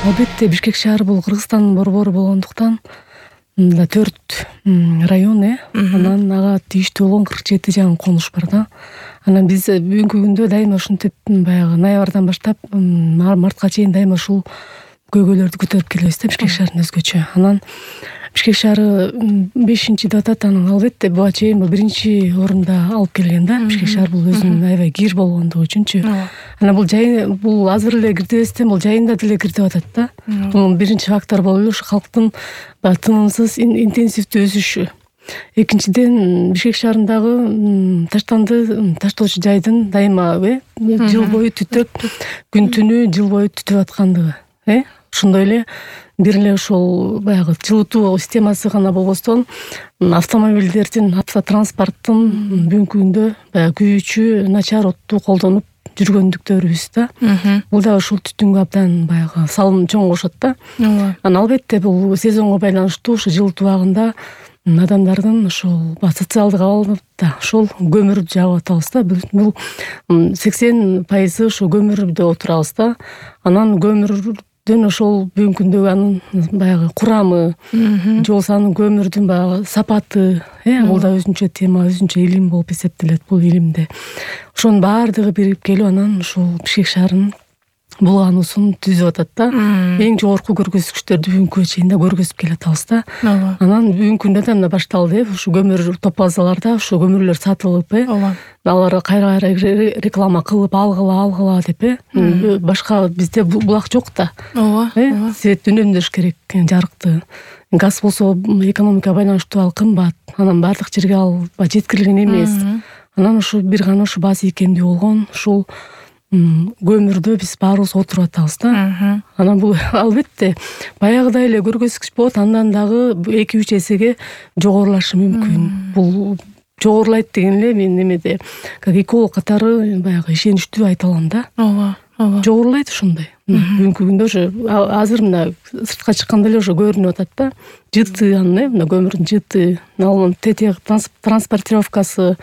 Албетте Бишкек шаары бул Кыргызстандын борбору болгондуктан 4 район анан ага тийиштүү болгон 47 жаңы конуш бар да. Анан биз бүгүнкү күндө дайыма ушинтип баягы ноябрдан баштап мартка чейин дайыма ушул көйгөйлөрдү көтөрүп келебиз да Бишкек шаарынын өзгөчө. Анан Бишкек шаары 5-деп атат, анан албетте буга чейин бул 1-орунда алып келген да. Бишкек шаар бул өзүнүн аябай кир болгондугу үчүнчү. Анан бул азыр эле кирдибестен бул жайында деле кирдип атат да. Бул биринчи фактор болуп эле ушу калктын тынымсыз интенсивдүү өсүшү. Экинчиден Бишкек шаарындагы таштоочу жайдын дайыма жыл бою түтөп, күн түнү жыл бою түтүп аткандыгы. Ошондой эле бир эле ошол баягы жылытуу системасы гана болбостон автомобилдердин, автотранспорттун бүгүнкү күндө баягы күйүүчү начар отту колдонуп жүргөндүктөрүбүз да. Бул да ушул түтүнгө абдан баягы салым чоң кошот да. Анан албетте бул сезонго байланыштуу ушу жылытуу убагында адамдардын ошол социалдык абалда ошол көмүрдү жагып атабыз да. Бул 80% ошо көмүрдө отурабыз да. Анан көмүрдүн ошол бүгүнкү күндөгү анын баягы курамы, же болбосо анын көмүрдүн баягы сапаты, бул да өзүнчө тема, өзүнчө илим болуп эсептелет бул илимде. Ошонун баардыгы биригип келип анан ушул Бишкек шаарынын булгануусун түзүп атат да. Эң жогорку көргөзгүчтөрдү бүгүнкү чейин да көргөзүп келатабыз да. Анан бүгүнкү күндө да башталды. Ушу көмүр топ базаларда ушу көмүрлөр сатылып, алар кайра реклама кылып алгыла деп, башка бизде булак жок да. Светти үнөмдөш керек, жарыкты. Газ болсо экономикага байланыштуу ал кымбат. Анан бардык жерге ал жеткирилген эмес. Анан ушу бир гана ушу база ийкемдүү болгон ушул көмүрдө биз баарыбыз отуруп атабыз да. Анан бул албетте баягыдай эле көргөзгүч болот, андан дагы 2-3 эсеге жогорулашы мүмкүн. Бул жогорулайт деген эле мен немеде как эколог катары баягы ишеничтүү айта алам да. Жогорулайт ошондой. Бүгүнкү күндө уже азыр мына сыртка чыкканда эле уже көрүнүп атат да. Жыты анын мына көмүрдүн жыты, алынын транспортировкасы,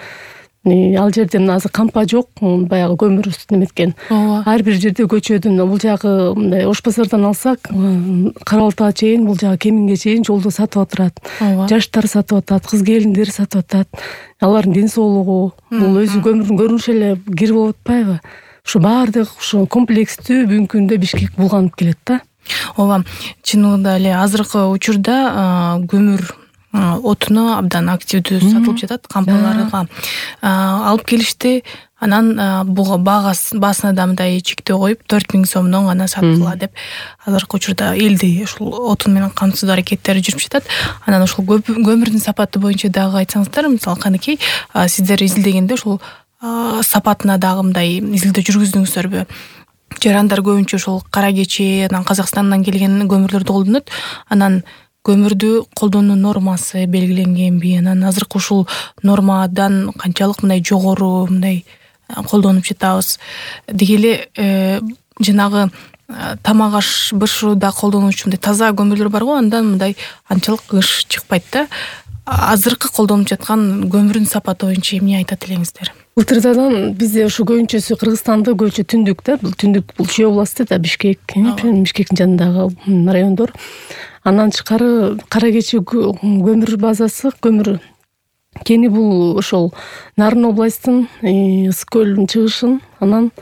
ал жерде азыр кампа жок, баягы көмүр неметкен. Ар бир жерде көчөдүн бул жагы мындай Ош базардан алсак, Кара Балтага чейин, бул жагы Кемиңге чейин жолдо сатып отурат. Жаштар сатып атат, кыз келиндер сатып атат. Алардын ден соолугу, бул өзү көмүрдүн көрүнүшү эле кир болуп атпайбы? Ушу баардык ушу комплекстүү бүгүнкү күндө Бишкек булганып келет да. Ооба, чынында эле азыркы учурда көмүр отуну абдан активдүү сатылып жатат кампаларга. Алып келишти, анан буга баасына да мындай чектөө коюп 4000 сомдон гана саткыла деп азыркы учурда элди ушул отун менен камсыздоо аракеттери жүрүп жатат. Анан ушул көмүрдүн сапаты боюнча дагы айтсаңыздар, мисалы канекей сиздер изилдегенде ушул сапатына дагы мындай изилдөө жүргүздүңүздөрбү? Жарандар көбүнчө ушул кара кечи, анан Казакстандан келген көмүрлөрдү колдонот. Анан көмүрдү колдонуу нормасы белгиленгенби? Анан азыркы ушул нормадан канчалык мындай жогору мындай колдонуп жатабыз? Деги эле жанагы тамак аш бышууда колдонуучу мындай таза көмүрлөр бар го, андан мындай анчалык ыш чыкпайт да. Азыркы колдонуп жаткан көмүрдүн сапаты боюнча эмне айтат элеңиздер? Былтырдан бизде ушу көбүнчөсү Кыргызстанды көбүнчө түндүк да, бул түндүк бул Чүй областы да, Бишкектин жанындагы райондор. Андан тышкары кара кечи көмүр базасы, көмүр кени бул ошол Нарын областынын Ысык көлүнүн чыгышын, анан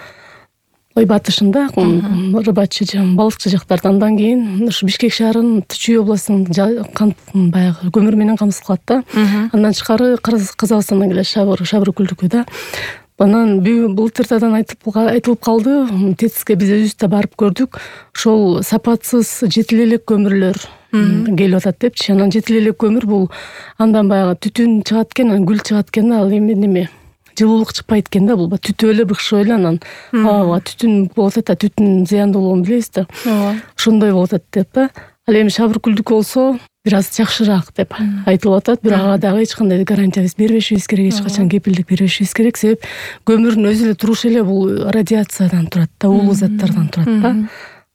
батышында Рыбачы, Балыкчы жактардан, андан кийин ушу Бишкек шаарынын Чүй областынын баягы көмүр менен камсыз кылат да. Андан тышкары Казакстандан келет Шабыр күлдүкү да. Анан былтырдан айтылып калды, ТЭЦке биз өзүбүз да барып көрдүк. Ошол сапатсыз жетил элек көмүрлөр келип атат депчи. Анан жетил элек көмүр бул андан баягы түтүн чыгат экен, анан гүл чыгат экен, ал эме жылуулук чыкпайт экен да, бул түтүп эле быкшып эле анан түтүн болуп атат, түтүн зыяндуулугун билебиз да. Ошондой болуп атат деп да. Ал эми Шабыр күлдүк болсо бир аз жакшыраак деп айтылып атат, бирок ага дагы эч кандай гарантия бербешибиз керек, эч качан кепилдик бербешибиз керек. Себеп көмүрдүн өзү эле турушу эле бул радиациядан турат да, уулуу заттардан турат да.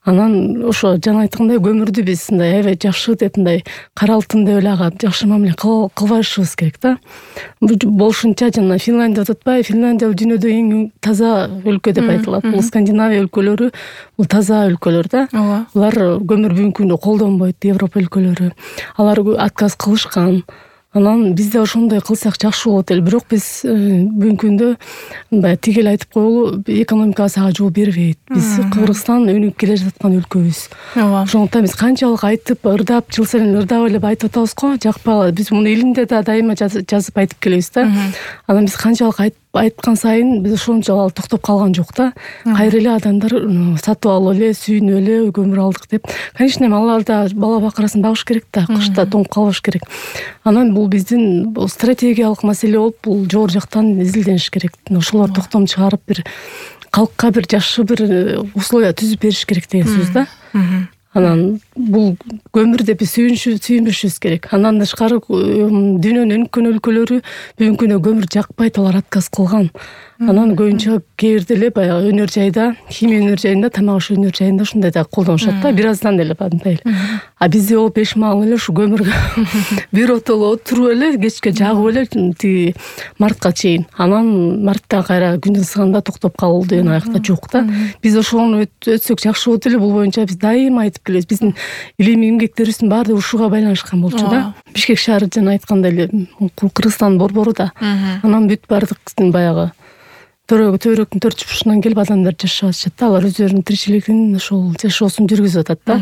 Анан ошо жана айткандай көмүрдү биз мындай аябай жакшы деп мындай кара алтын деп эле ага жакшы мамиле кылбашыбыз керек да. Болушунча жана Финляндия деп атпайбы, Финляндия дүйнөдө эң таза өлкө деп айтылат. Бул Скандинавия өлкөлөрү бул таза өлкөлөр да. Алар көмүр бүгүнкү күндө колдонбойт, Европа өлкөлөрү. Алар отказ кылышкан. Анан биз да ошондой кылсак жакшы болот эле. Бирок биз бүгүнкү күндө мындай тигел айтып коелу, экономикабыз ага жол бербейт. Биз Кыргызстан өнүгүп келе жаткан өлкөбүз. Ошондуктан биз канчалык айтып, ырдап, жыл сайын ырдап эле айтып атабыз го, жакпагыла. Биз муну элимде да дайыма жазып айтып келебиз да. Анан биз канчалык айткан сайын биз ошончо токтоп калган жок да. Кайра эле адамдар сатып алып эле, сүйүнүп эле көмүр алдык деп. Конечно, алар да бала бакырасын багыш керек да, кышта тоңуп калбаш керек. Анан бул биздин стратегиялык маселе болуп, бул жогору жактан изилдениш керек. Ошолор токтом чыгарып бир калкка бир жакшы бир условия түзүп бериш керек деген сөз да. Анан бул көмүр деп сүйүнбөшүбүз керек. Андан тышкары дүйнөнүн өнүккөн өлкөлөрү бүгүнкү күндө көмүр жакпайт, алар отказ кылган. Анан көбүнчө кээ бирде эле баягы өнөр жайда, химия өнөр жайында, тамак аш өнөр жайында ушундай да колдонушат да, бир аздан эле мындай эле. А бизде о 5 маал эле ушу көмүргө бир отоло отуруп эле, кечке жагып эле тиги мартка чейин. Анан мартта кайра күн ысыганда токтоп калуу деген аякта жок да. Биз ошону өтсөк жакшы болот эле. Бул боюнча биз дайыма айтып келебиз. Биздин илимий эмгектерибиздин баардыгы ушуга байланышкан болчу да. Бишкек шаары жана айткандай эле Кыргызстандын борбору да. Анан бүт баардык баягы төрөктүн төрт бурчунан келип адамдар жашап атышат да. Алар өздөрүнүн тиричилигин ошол жашоосун жүргүзүп атат да.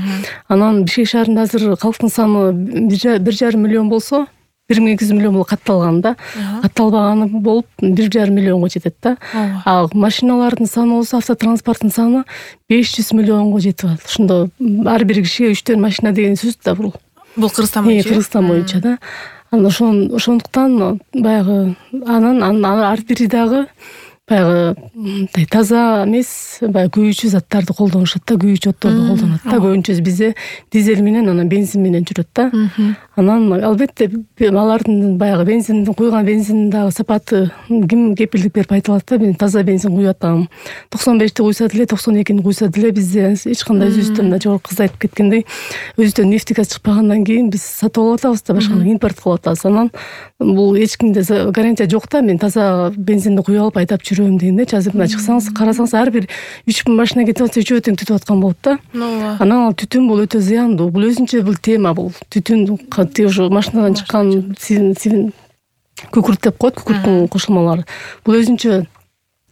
Анан Бишкек шаарында азыр калктын саны 1,5 миллион болсо, 1,2 миллион болуп катталган да. Катталбаганы болуп 1,5 миллионго жетет да. А машиналардын саны болсо, автотранспорттун саны 500 миллионго жетип атат. Ошондо ар бир кишиге 3 машина деген сөз да бул. Бул Кыргызстан боюнча. Кыргызстан боюнча да. Анан ошондуктан баягы анан ар бири дагы баягы таза эмес, баягы күйүүчү заттарды колдонушат да, күйүүчү отторду колдонот да. Көбүнчөсү бизде дизель менен, анан бензин менен жүрөт да. Анан албетте алардын баягы бензиндин куйган бензиндин дагы сапаты ким кепилдик берип айта алат да. Мен таза бензин куюп атам, 95-ти куйса деле, 92-ни куйса деле бизде эч кандай өзүбүздөн жогорку кыз айтып кеткендей, өзүбүздөн нефть газ чыкпагандан кийин биз сатып алып атабыз да, башканы импорт кылып атабыз. Анан бул эч кимде гарантия жок да. Мен таза бензинди куюп алып айдап жүрөм дегенде, азыр мына чыксаңыз, карасаңыз, ар бир 3 машина кетип атса, үчөө тең түтүп аткан болот да. Анан ал түтүн бул өтө зыяндуу. Бул өзүнчө бул тема, бул түтүн ошо машинадан чыккан күкүрт деп коет, күкүрттүн кошулмалары. Бул өзүнчө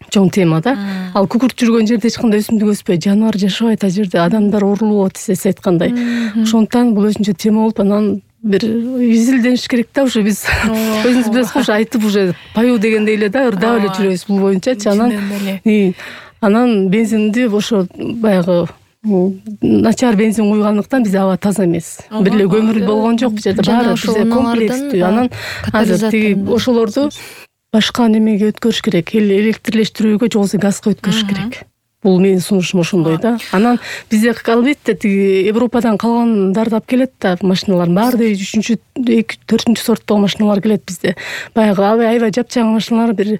чоң тема да. Ал күкүрт жүргөн жерде эч кандай өсүмдүк өспөйт, жаныбар жашабайт, ал жерде адамдар оорулуп атат, сиз айткандай. Ошондуктан бул өзүнчө тема болуп, анан бир изилдениш керек да. Уже биз өзүбүз билесиз, уже айтып, уже паю дегендей эле да, ырдап эле жүрөбүз бул боюнчачы. Анан бензинди ошо баягы начар бензин куйгандыктан бизде аба таза эмес. Бир эле көмүр болгон жок, бул жерде баары бизде комплекстүү. Анан азыр тиги ошолорду башка немеге өткөрүш керек, электрлештирүүгө, же болбосо газга өткөрүш керек. Бул менин сунушум ошондой да. Анан бизде албетте тиги Европадан калгандарды алып келет да, машиналардын баары 3-4 сорттогу машиналар келет бизде. Баягы аябай жапжаң машиналар бир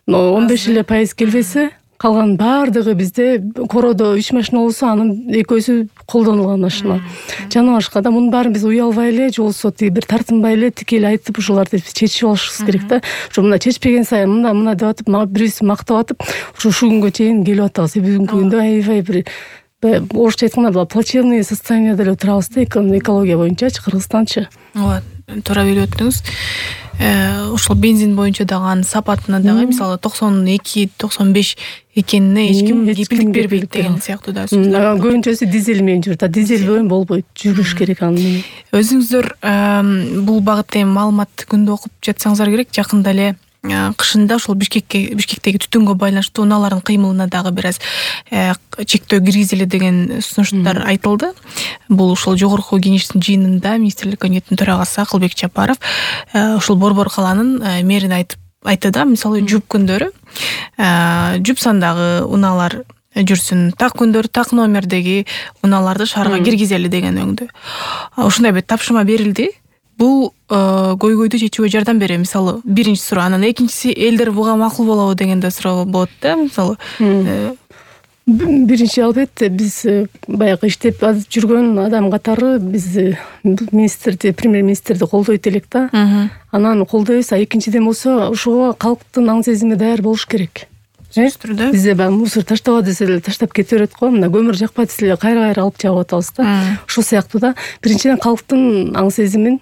15% келбесе, калган баардыгы бизде короодо 3 машина болсо, анын экөөсү колдонулган машина. Жана башка да, мунун баарын биз уялбай эле, же болбосо тиги бир тартынбай эле тикелей айтып ушуларды чечип алышыбыз керек да. Ошо мына чечпеген сайын мына деп атып, бирөөсү мактап атып, ушу күнгө чейин келип атабыз. Бүгүнкү күндө аябай бир орусча айтканда плачевный состоянияда эле турабыз да, экология боюнчачы, Кыргызстанчы. Ооба, туура билип өттүңүз. Ошол бензин боюнча дагы анын сапатына дагы мисалы 92-95 экенине эч ким кепилдик бербейт деген сыяктуу да сөздөр. Көбүнчөсү дизель менен жүрөт. Дизель менен болбойт, жүрүш керек аны. Өзүңүздөр бул багытта эми маалыматты күндө окуп жатсаңыздар керек. Жакында эле кышында ошол Бишкектеги түтүнгө байланыштуу унаалардын кыймылына дагы бир аз чектөө киргизели деген сунуштар айтылды. Бул ошол жогорку кеңештин жыйынында министрлик комитетинин төрагасы Акылбек Жапаров ошол Борбор калаанын мэрин айтты да, мисалы жуп күндөрү жуп сандагы унаалар жүрсүн, так күндөрү так номердеги унааларды шаарга киргизели деген өңдө. Ушундай бир тапшырма берилди. Бул көйгөйдү чечүүгө жардам берет. Мисалы, биринчи суроо, анан экинчиси элдер буга макул болобу деген да суроо болот да. Мисалы, Биринчи албетте биз баягы иштеп жүргөн адам катары биз министрди, премьер-министрди колдойт элек да. Анан колдойбуз. Экинчиден болсо ошого калктын аң сезими даяр болуш керек. Түрдө Бизде баягы мусор таштаба десе эле таштап кете берет го. Мына көмүр жакпайт десе эле кайра алып жагып атабыз да. Ошол сыяктуу да. Биринчиден калктын аң сезимин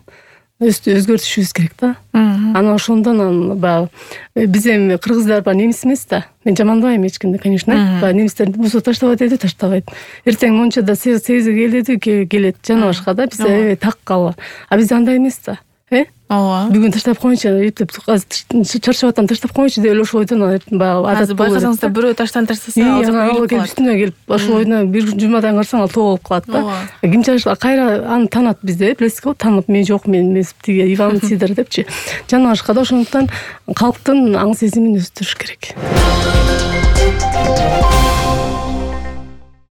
өзгөртүшүбүз керек да. Анан ошондон баягы биз эми кыргыздар баягы немис эмес да. Мен жамандабайм эч кимди, конечно. Баягы немистер мусор таштаба деди, таштабайт. Эртең мончада сегизге кел деди, келет. Жана башка да. Бизде так калба. А бизде андай эмес да. Ооба. Бүгүн таштап коеюнчу, эптеп чарчап атам, таштап коеюнчу деп эле ошол ойдон баягы адат болуп. Байкасаңыз да бирөө таштан таштаса, ал келип үстүнө келип ошол ойдон бир жумадан карасаң ал тоо болуп калат да. Ким кайра аны таанат бизде, билесиз го, таанып мен жок, мен эмес, тиги Иван Сидор депчи. Жана башка да. Ошондуктан калктын аң сезимин өстүрүш керек.